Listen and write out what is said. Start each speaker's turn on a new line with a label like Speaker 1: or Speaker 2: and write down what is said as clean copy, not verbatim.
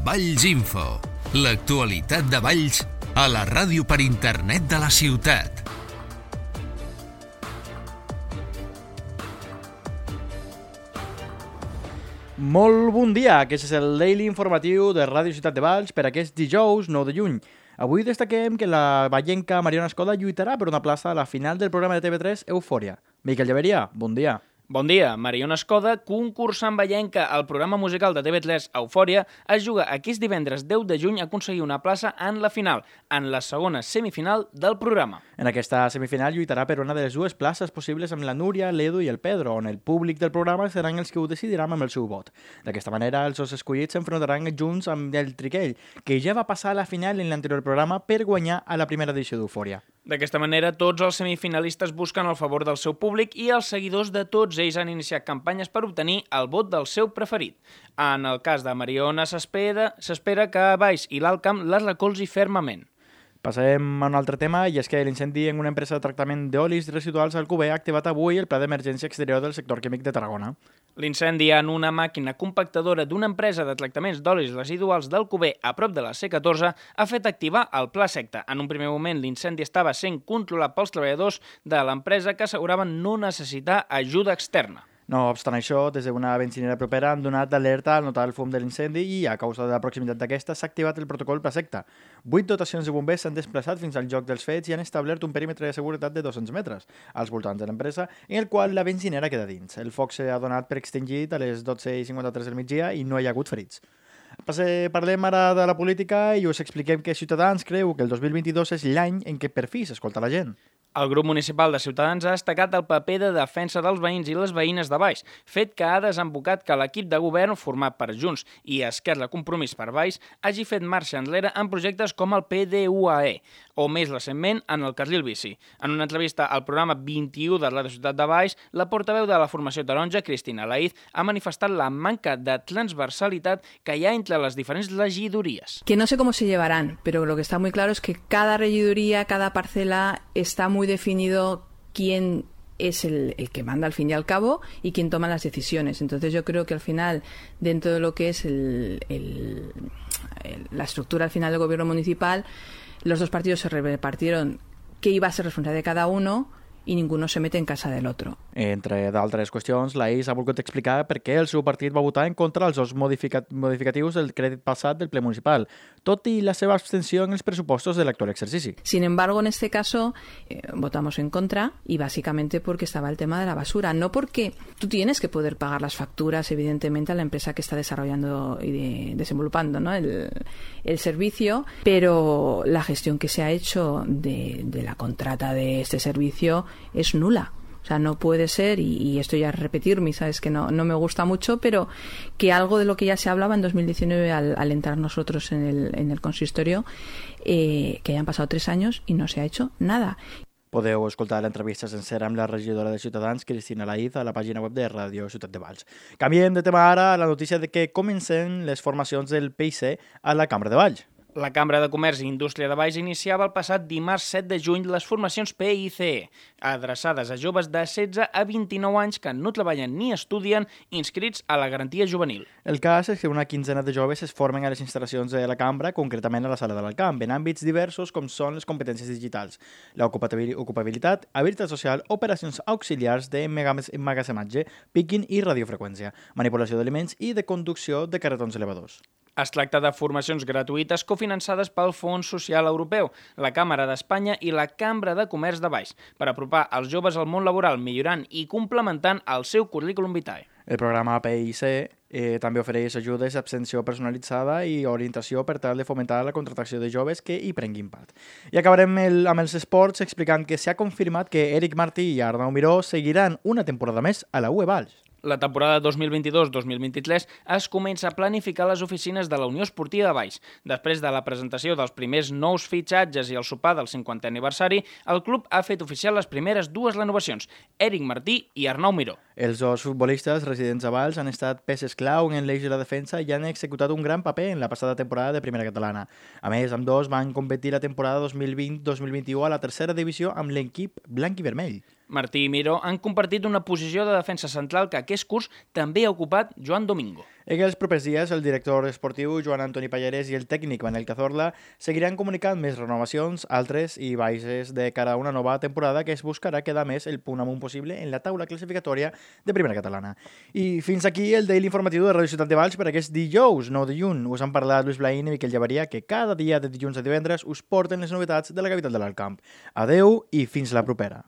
Speaker 1: Valls Info, l'actualitat de Valls a la ràdio per internet de la ciutat.
Speaker 2: Molt bon dia, aquest és el Daily informatiu de Ràdio Ciutat de Valls per aquest dijous 9 de juny. Avui destaquem que la vallenca Mariona Escoda lluitarà per una plaça a la final del programa de TV3 Eufòria. Miquel Llaveria, bon dia.
Speaker 3: Bon dia. Mariona Escoda, concursant vallenca al programa musical de TV3 Eufòria, es juga aquest divendres 10 de juny a aconseguir una plaça en la final, en la segona semifinal del programa.
Speaker 2: En aquesta semifinal lluitarà per una de les dues places possibles amb la Núria, l'Edu i el Pedro, on el públic del programa seran els que ho decidiran amb el seu vot. D'aquesta manera, els dos escollits s'enfrontaran junts amb el Triquell, que ja va passar a la final en l'anterior programa per guanyar a la primera edició d'Eufòria.
Speaker 3: D'aquesta manera, tots els semifinalistes busquen el favor del seu públic i els seguidors de tots ells han iniciat campanyes per obtenir el vot del seu preferit. En el cas de Mariona s'espera que Valls i l'Alt Camp les recolzi fermament.
Speaker 2: Passem a un altre tema, i és que l'incendi en una empresa de tractament d'olis residuals al Cuber ha activat avui el pla d'emergència exterior del sector químic de Tarragona.
Speaker 3: L'incendi en una màquina compactadora d'una empresa de tractaments d'olis residuals del Cuber a prop de la C14 ha fet activar el pla secta. En un primer moment, l'incendi estava sent controlat pels treballadors de l'empresa que asseguraven no necessitar ajuda externa.
Speaker 2: No obstant això, des d'una benzinera propera han donat d'alerta al notar el fum de l'incendi i, a causa de la proximitat d'aquesta, s'ha activat el protocol Pla Secta. 8 dotacions de bombers s'han desplaçat fins al lloc dels fets i han establert un perímetre de seguretat de 200 metres als voltants de l'empresa, en el qual la benzinera queda dins. El foc s'ha donat per extingit a les 12:53 del migdia i no hi ha hagut ferits. Parlem ara de la política i us expliquem que Ciutadans creu que el 2022 és l'any en què per fi s'escolta la gent.
Speaker 3: El grup municipal de Ciutadans ha destacat el paper de defensa dels veïns i les veïnes de Valls, fet que ha desembocat que l'equip de govern, format per Junts i Esquerra Compromís per Valls, hagi fet marxa enrere en projectes com el PDUAE, o més recentment en el carril bici. En una entrevista al programa 21 de la Ciutat de Valls, la portaveu de la formació taronja, Cristina Laïz, ha manifestat la manca de transversalitat que hi ha entre les diferents regidories.
Speaker 4: Que no sé cómo se llevarán, pero lo que está muy claro es que cada regiduría, cada parcela está muy definido quién es el que manda al fin y al cabo y quién toma las decisiones. Entonces yo creo que al final, dentro de lo que es la estructura al final del gobierno municipal, los dos partidos se repartieron qué iba a ser responsable de cada uno i ningú se mete en casa del otro.
Speaker 2: Entre d'altres qüestions, l'AIS ha volgut explicar per què el seu partit va votar en contra dels dos modificatius del crèdit passat del ple municipal, tot i la seva abstenció en els pressupostos de l'actual exercici.
Speaker 4: Sin embargo, en este caso, votamos en contra y básicamente porque estaba el tema de la basura. No porque tú tienes que poder pagar las facturas, evidentemente, a la empresa que está desarrollando y desenvolupando, ¿no?, el servicio, pero la gestión que se ha hecho de la contrata de este servicio es nula. O sea, no puede ser, y esto ya es repetirme, sabes que no me gusta mucho, pero que algo de lo que ya se hablaba en 2019 al entrar nosotros en el consistorio, que hayan pasado 3 años y no se ha hecho nada.
Speaker 2: Podeu escoltar l'entrevista sencera amb la regidora de Ciutadans, Cristina Laïz, a la pàgina web de Ràdio Ciutat de Valls. Canviem de tema ara a la notícia de que comencen les formacions del PIC a la Cambra de Valls.
Speaker 3: La Cambra de Comerç i Indústria de Valls iniciava el passat dimarts 7 de juny les formacions PICE, adreçades a joves de 16 a 29 anys que no treballen ni estudien, inscrits a la garantia juvenil.
Speaker 2: El cas és que una quinzena de joves es formen a les instal·lacions de la Cambra, concretament a la Sala de l'Alcamp, en àmbits diversos com són les competències digitals, l'ocupabilitat, habilitat social, operacions auxiliars d'emmagatzematge, picking i radiofreqüència, manipulació d'aliments i de conducció de carretons elevadors.
Speaker 3: Es tracta de formacions gratuïtes cofinançades pel Fons Social Europeu, la Càmera d'Espanya i la Cambra de Comerç de Valls, per apropar els joves al món laboral, millorant i complementant el seu currículum vitae.
Speaker 2: El programa PIC també ofereix ajudes d'abstenció personalitzada i orientació per tal de fomentar la contractació de joves que hi prenguin part. I acabarem amb els esports explicant que s'ha confirmat que Eric Martí i Arnau Miró seguiran una temporada més a la UE Valls.
Speaker 3: La temporada 2022-2023 es comença a planificar a les oficines de la Unió Esportiva de Valls. Després de la presentació dels primers nous fitxatges i el sopar del 50è aniversari, el club ha fet oficial les primeres 2 renovacions, Eric Martí i Arnau Miró.
Speaker 2: Els dos futbolistes residents a Valls han estat peces clau en l'eix de la defensa i han executat un gran paper en la passada temporada de Primera Catalana. A més, ambdós van competir la temporada 2020-2021 a la tercera divisió amb l'equip blanc i vermell.
Speaker 3: Martí i Miró han compartit una posició de defensa central que aquest curs també ha ocupat Joan Domingo.
Speaker 2: En els propers dies, el director esportiu Joan Antoni Pallarès i el tècnic Manel Cazorla seguiran comunicant més renovacions, altres i baixes de cara a una nova temporada que es buscarà quedar més el punt amunt possible en la taula classificatòria de Primera Catalana. I fins aquí el Daily Informatiu de Ràdio Ciutat de Valls per aquest dijous, 9 de juny. Us han parlat Lluís Blaín i Miquel Llavaria, que cada dia de dilluns a divendres us porten les novetats de la capital de l'Alt Camp. Adeu i fins la propera.